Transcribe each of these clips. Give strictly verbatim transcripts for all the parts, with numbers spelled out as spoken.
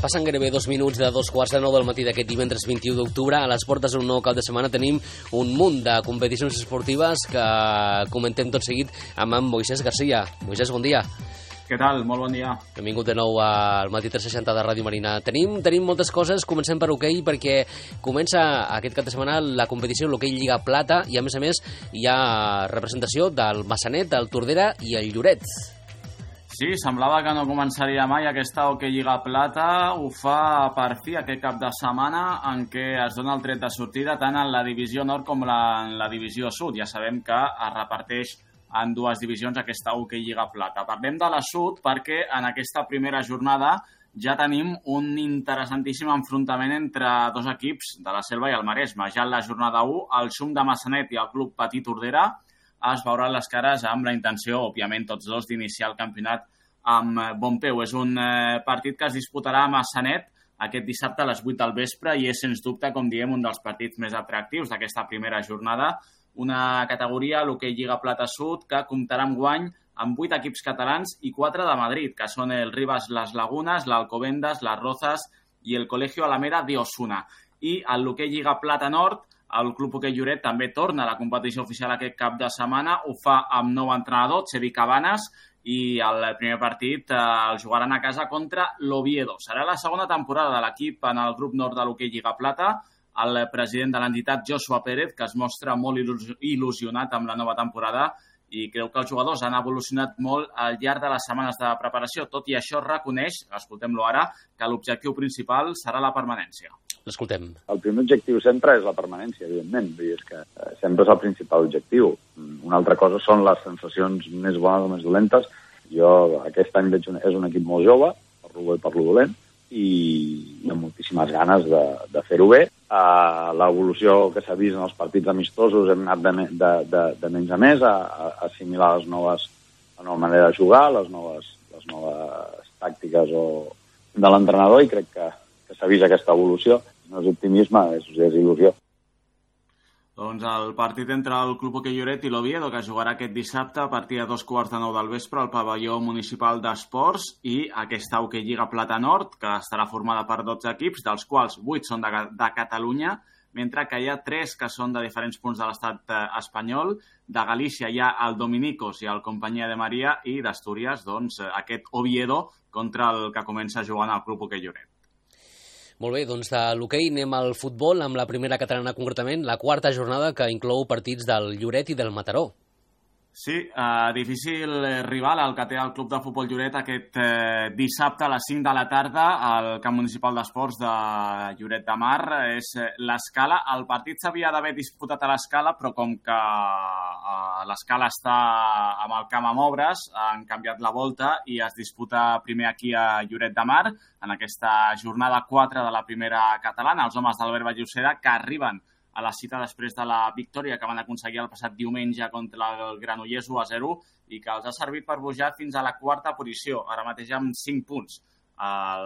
Passen gairebé dos minuts de dos quarts de nou del matí d'aquest divendres vint-i-u d'octubre. A les portes d'un nou cap de setmana tenim un munt de competicions esportives que comentem tot seguit amb en Moisés Garcia. Moisés, bon dia. Què tal? Molt bon dia. Benvingut de nou al Matí tres seixanta de Ràdio Marina. Tenim, tenim moltes coses. Comencem per hoquei perquè comença aquest cap de setmana la competició l'hoquei Lliga Plata i a més a més hi ha representació del Massanet, del Tordera i el Lloret. Sí, semblava que no començaria mai aquesta hoquei Lliga Plata. Ho fa per fi aquest cap de setmana en què es dona el tret de sortida tant en la divisió nord com en la divisió sud. Ja sabem que es reparteix en dues divisions aquesta hoquei Lliga Plata. Parlem de la sud perquè en aquesta primera jornada ja tenim un interessantíssim enfrontament entre dos equips de la Selva i el Maresme. Ja en la jornada u, el Xum de Massanet i el Club Patí Tordera es veuran les cares amb la intenció, òbviament, tots dos, d'iniciar el campionat amb bon peu. És un eh, partit que es disputarà a Massanet aquest dissabte a les vuit del vespre i és, sens dubte, com diem, un dels partits més atractius d'aquesta primera jornada. Una categoria, l'hoquei Lliga Plata Sud, que comptarà amb guany amb vuit equips catalans i quatre de Madrid, que són el Rivas Las Lagunas, l'Alcobendas, les Rozas i el Colegio Alameda de Osuna. I en l'hoquei Lliga Plata Nord, el Club Hoquei Lloret també torna a la competició oficial aquest cap de setmana. Ho fa amb nou entrenador, Xevi Cabanes, i el primer partit eh, el jugaran a casa contra l'Oviedo. Serà la segona temporada de l'equip en el grup nord de l'hoquei Lliga Plata. El president de l'entitat, Joshua Pérez, que es mostra molt il·lusionat amb la nova temporada i creu que els jugadors han evolucionat molt al llarg de les setmanes de preparació. Tot i això, reconeix, escoltem-lo ara, que l'objectiu principal serà la permanència. L'escoltem. El primer objectiu sempre és la permanència, evidentment. Vull dir, és que sempre és el principal objectiu. Una altra cosa són les sensacions més bones o més dolentes. Jo aquest any veig un, és un equip molt jove, per lo bo i per lo dolent, i amb moltíssimes ganes de, de fer-ho bé. Uh, l'evolució que s'ha vist en els partits amistosos hem anat de, de, de, de menys a més a, a assimilar les noves, la nova manera de jugar, les noves, les noves tàctiques o, de l'entrenador, i crec que, que s'ha vist aquesta evolució. No és optimisme, és, és il·lusió. Doncs el partit entre el Club Hoquei Lloret i l'Oviedo, que jugarà aquest dissabte a partir de dos quarts de nou del vespre al pavelló municipal d'esports, i aquesta hoquei Lliga Plata Nord, que estarà formada per dotze equips, dels quals vuit són de, de Catalunya, mentre que hi ha tres que són de diferents punts de l'estat espanyol. De Galícia hi ha el Dominicos i el Companyia de Maria, i d'Astúries, doncs, aquest Oviedo contra el que comença jugant al Club Hoquei Lloret. Molt bé, doncs de l'hoquei anem al futbol, amb la primera catalana concretament, la quarta jornada que inclou partits del Lloret i del Mataró. Sí, eh, difícil rival el que té el Club de Futbol Lloret aquest eh, dissabte a les cinc de la tarda al Camp Municipal d'Esports de Lloret de Mar. És l'Escala. El partit s'havia d'haver disputat a l'Escala, però com que eh, l'Escala està amb el camp amb obres, han canviat la volta i es disputa primer aquí a Lloret de Mar, en aquesta jornada quatre de la primera catalana. Els homes d'Albert Vallocera, que arriben a la cita després de la victòria que van aconseguir el passat diumenge contra el Granollers u a zero i que els ha servit per pujar fins a la quarta posició, ara mateix amb cinc punts.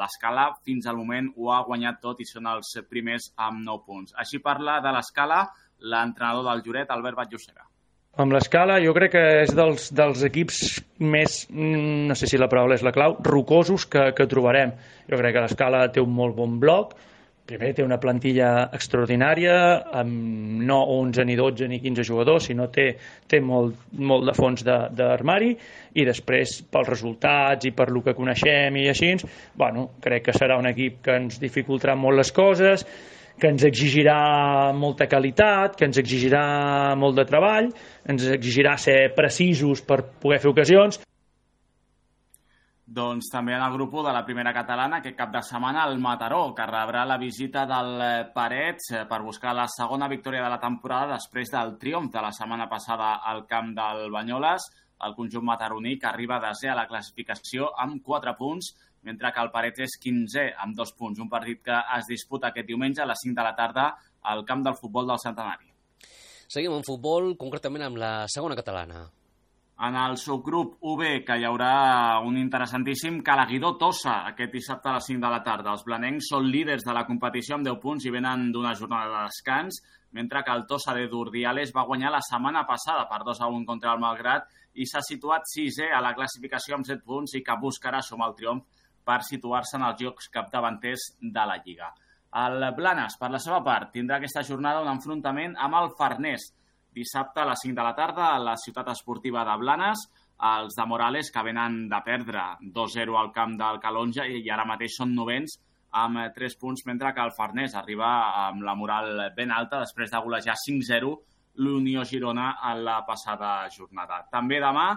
L'Escala fins al moment ho ha guanyat tot i són els primers amb nou punts. Així parla de l'Escala l'entrenador del Lloret, Albert Vallocera. Amb l'Escala jo crec que és dels, dels equips més, no sé si la paraula és la clau, rocosos que, que trobarem. Jo crec que l'Escala té un molt bon bloc. Primer, té una plantilla extraordinària, amb no onze ni dotze ni quinze jugadors, sinó té, té molt, molt de fons d'armari, i després, pels resultats i per lo que coneixem i així, bueno, crec que serà un equip que ens dificultarà molt les coses, que ens exigirà molta qualitat, que ens exigirà molt de treball, ens exigirà ser precisos per poder fer ocasions. Doncs també en el grup u de la primera catalana, aquest cap de setmana, el Mataró, que rebrà la visita del Parets per buscar la segona victòria de la temporada després del triomf de la setmana passada al camp del Banyoles. El conjunt mataroní, que arriba desè a la classificació amb quatre punts, mentre que el Parets és quinzè amb dos punts. Un partit que es disputa aquest diumenge a les cinc de la tarda al camp del futbol del Centenari. Seguim en futbol, concretament amb la segona catalana. En el subgrup u be, que hi haurà un interessantíssim Calaguidó-Tossa aquest dissabte a les cinc de la tarda. Els blanencs són líders de la competició amb deu punts i venen d'una jornada de descans, mentre que el Tossa de Durdiales va guanyar la setmana passada per dos a un contra el Malgrat i s'ha situat sisè a la classificació amb set punts i que buscarà sumar el triomf per situar-se en els llocs capdavanters de la Lliga. El Blanes, per la seva part, tindrà aquesta jornada un enfrontament amb el Farners. Dissabte a les cinc de la tarda a la ciutat esportiva de Blanes, els de Morales, que venen de perdre dos zero al camp del Calonja i ara mateix són novens amb tres punts, mentre que el Farners arriba amb la moral ben alta després de golejar cinc zero l'Unió Girona en la passada jornada. També demà,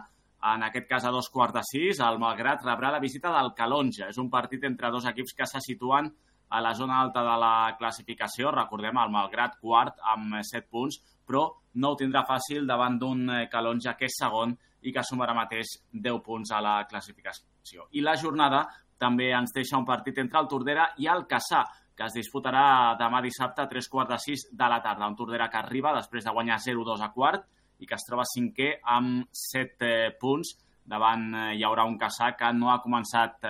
en aquest cas a dos quarts de sis, el Malgrat rebrà la visita del Calonja. És un partit entre dos equips que se situen a la zona alta de la classificació. Recordem, el Malgrat quart amb set punts, però no ho tindrà fàcil davant d'un Calonja que és segon i que suma ara mateix deu punts a la classificació. I la jornada també ens deixa un partit entre el Tordera i el Cassà, que es disputarà demà dissabte a tres quarts de sis de la tarda. Un Tordera que arriba després de guanyar zero dos a quart i que es troba cinquè amb set punts. Davant hi haurà un Cassà que no ha començat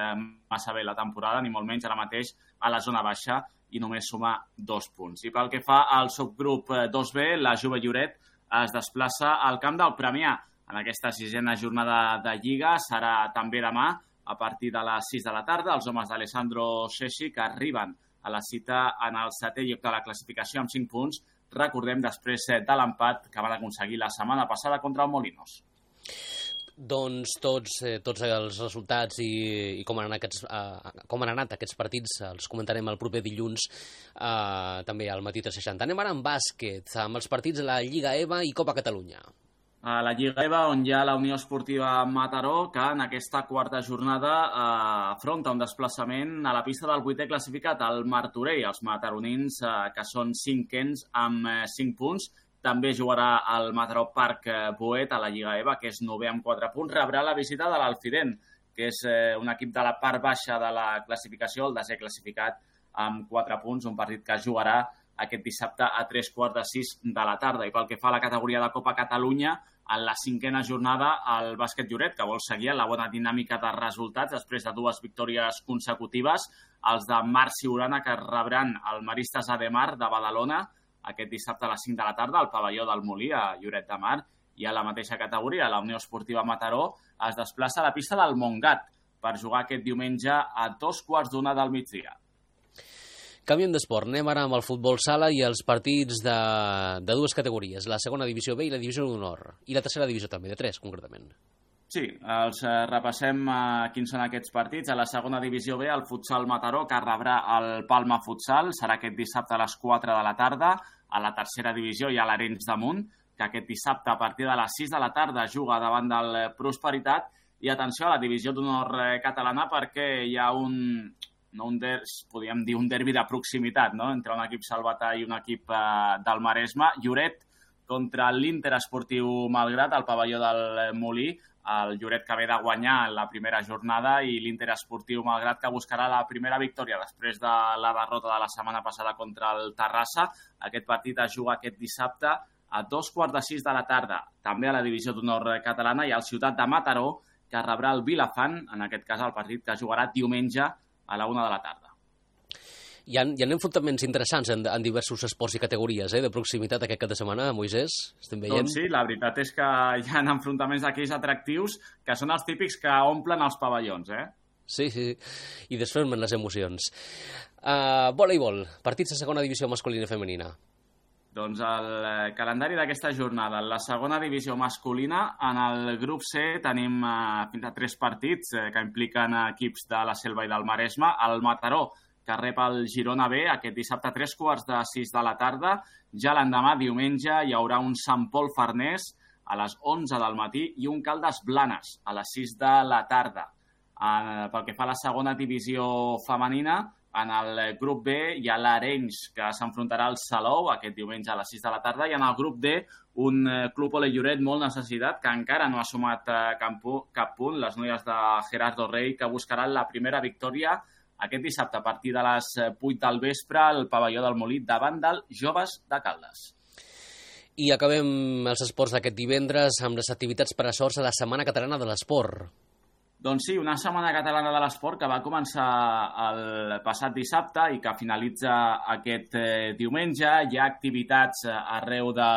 massa bé la temporada, ni molt menys ara mateix a la zona baixa, i només suma dos punts. I pel que fa al subgrup dos B, la Juve Lloret es desplaça al camp del Premià. En aquesta sisena jornada de Lliga serà també demà, a partir de les sis de la tarda, els homes d'Alessandro Cesci, que arriben a la cita en el setè lloc de la classificació amb cinc punts, recordem, després de l'empat que van aconseguir la setmana passada contra el Molinos. Doncs tots, eh, tots els resultats i, i com, han anat aquests, eh, com han anat aquests partits els comentarem el proper dilluns eh, també al Matí tres seixanta. Anem ara amb bàsquet, amb els partits de la Lliga E V A i Copa Catalunya. A la Lliga E V A, on hi ha la Unió Esportiva Mataró, que en aquesta quarta jornada eh, afronta un desplaçament a la pista del vuitè classificat, el Martorell. Els mataronins, eh, que són cinquens amb eh, cinc punts. També jugarà al Mataró Parc Boet a la Lliga E V A, que és novè amb quatre punts. Rebrà la visita de l'Alfident, que és eh, un equip de la part baixa de la classificació, el desè classificat amb quatre punts, un partit que jugarà aquest dissabte a tres quarts de sis de la tarda. I pel que fa a la categoria de Copa Catalunya, en la cinquena jornada, el bàsquet Lloret, que vol seguir la bona dinàmica de resultats després de dues victòries consecutives, els de Marc Siurana, que rebran el Maristes Ademar de Badalona aquest dissabte a les cinc de la tarda al pavelló del Molí, a Lloret de Mar. I a la mateixa categoria, la Unió Esportiva Mataró es desplaça a la pista del Montgat per jugar aquest diumenge a dos quarts d'una del migdia. Canviem d'esport, anem ara amb el futbol sala i els partits de, de dues categories, la segona divisió B i la divisió d'honor, i la tercera divisió també, de tres concretament. Sí, els repassem uh, quins són aquests partits. A la segona divisió B, el futsal Mataró, que rebrà el Palma Futsal, serà aquest dissabte a les quatre de la tarda. A la tercera divisió hi ha l'Arenys de Munt, que aquest dissabte a partir de les sis de la tarda juga davant del Prosperitat. I atenció a la divisió d'honor catalana, perquè hi ha un... no un der, podríem dir un derbi de proximitat, no?, entre un equip salvatà i un equip eh, del Maresme. Lloret contra l'Inter Esportiu Malgrat, al pavelló del Molí. El Lloret que ve de guanyar la primera jornada i l'Inter Esportiu Malgrat que buscarà la primera victòria després de la derrota de la setmana passada contra el Terrassa. Aquest partit es juga aquest dissabte a dos quarts de sis de la tarda. També a la divisió d'honor catalana hi ha el Ciutat de Mataró, que rebrà el Vilafant, en aquest cas el partit que jugarà diumenge a la una de la tarda. Hi ha, hi ha enfrontaments interessants en, en diversos esports i categories, eh, de proximitat aquest cap de setmana, Moisès? Estem veient? Doncs sí, la veritat és que hi ha enfrontaments d'aquells atractius que són els típics que omplen els pavellons, eh? Sí, sí, i desfermen les emocions. Uh, voleibol, partits de segona divisió masculina i femenina. Doncs el calendari d'aquesta jornada. En la segona divisió masculina, en el grup C, tenim eh, fins a tres partits eh, que impliquen equips de la Selva i del Maresme. El Mataró, que rep el Girona B aquest dissabte a tres quarts de sis de la tarda. Ja l'endemà, diumenge, hi haurà un Sant Pol Farners a les onze del matí i un Caldes Blanes a les sis de la tarda. Eh, pel que fa a la segona divisió femenina, en el grup B hi ha l'Arenys, que s'enfrontarà al Salou aquest diumenge a les sis de la tarda, i en el grup D un club Ole Lloret molt necessitat, que encara no ha sumat cap punt, les noies de Gerardo Rey, que buscaran la primera victòria aquest dissabte a partir de les vuit del vespre al pavelló del Molí davant del Joves de Caldes. I acabem els esports d'aquest divendres amb les activitats per a sorts a la Setmana Catalana de l'Esport. Doncs sí, una setmana catalana de l'esport que va començar el passat dissabte i que finalitza aquest eh, diumenge. Hi ha activitats arreu de,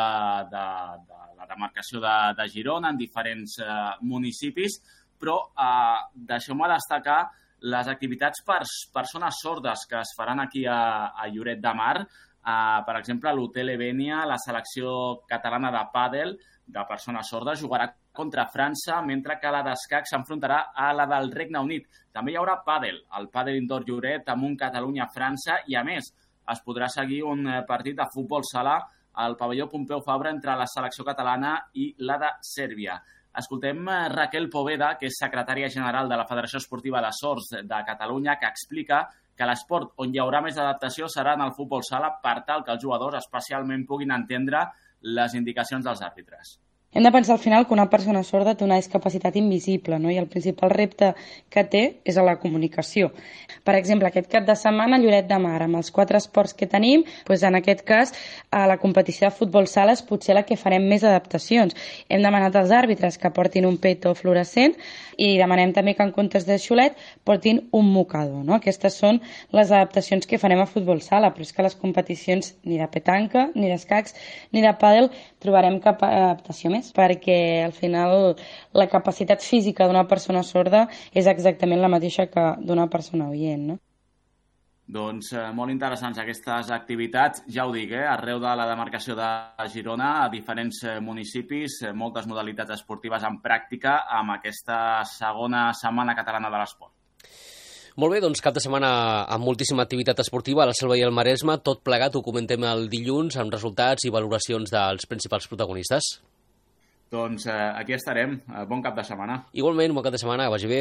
de, de la demarcació de, de Girona, en diferents eh, municipis, però eh, deixeu-me destacar les activitats per persones sordes que es faran aquí a, a Lloret de Mar. Uh, per exemple, l'Hotel Evenia, la selecció catalana de pàdel de persones sordes jugarà contra França, mentre que la d'escac s'enfrontarà a la del Regne Unit. També hi haurà pàdel, el pàdel indoor Lloret amb un Catalunya-França, i a més es podrà seguir un partit de futbol sala al pavelló Pompeu Fabra entre la selecció catalana i la de Sèrbia. Escoltem Raquel Poveda, que és secretària general de la Federació Esportiva de Sords de Catalunya, que explica que l'esport on hi haurà més adaptació serà en el futbol sala per tal que els jugadors especialment puguin entendre les indicacions dels àrbitres. Hem de pensar al final que una persona sorda té una discapacitat invisible, no? I el principal repte que té és a la comunicació. Per exemple, aquest cap de setmana a Lloret de Mar, amb els quatre esports que tenim, doncs en aquest cas, a la competició de futbol sala és potser la que farem més adaptacions. Hem demanat als àrbitres que portin un peto fluorescent i demanem també que en comptes de xulet portin un mocador, no? Aquestes són les adaptacions que farem a futbol sala, però és que les competicions ni de petanca, ni d'escacs, ni de pàdel trobarem cap adaptació més, perquè al final la capacitat física d'una persona sorda és exactament la mateixa que d'una persona oient, no? Doncs eh, molt interessants aquestes activitats, ja ho dic, eh, arreu de la demarcació de Girona, a diferents eh, municipis, eh, moltes modalitats esportives en pràctica amb aquesta segona setmana catalana de l'esport. Molt bé, doncs cap de setmana amb moltíssima activitat esportiva a la Selva i el Maresme, tot plegat ho comentem el dilluns amb resultats i valoracions dels principals protagonistes. Doncs eh, aquí estarem, bon cap de setmana. Igualment, bon cap de setmana, que vagi bé.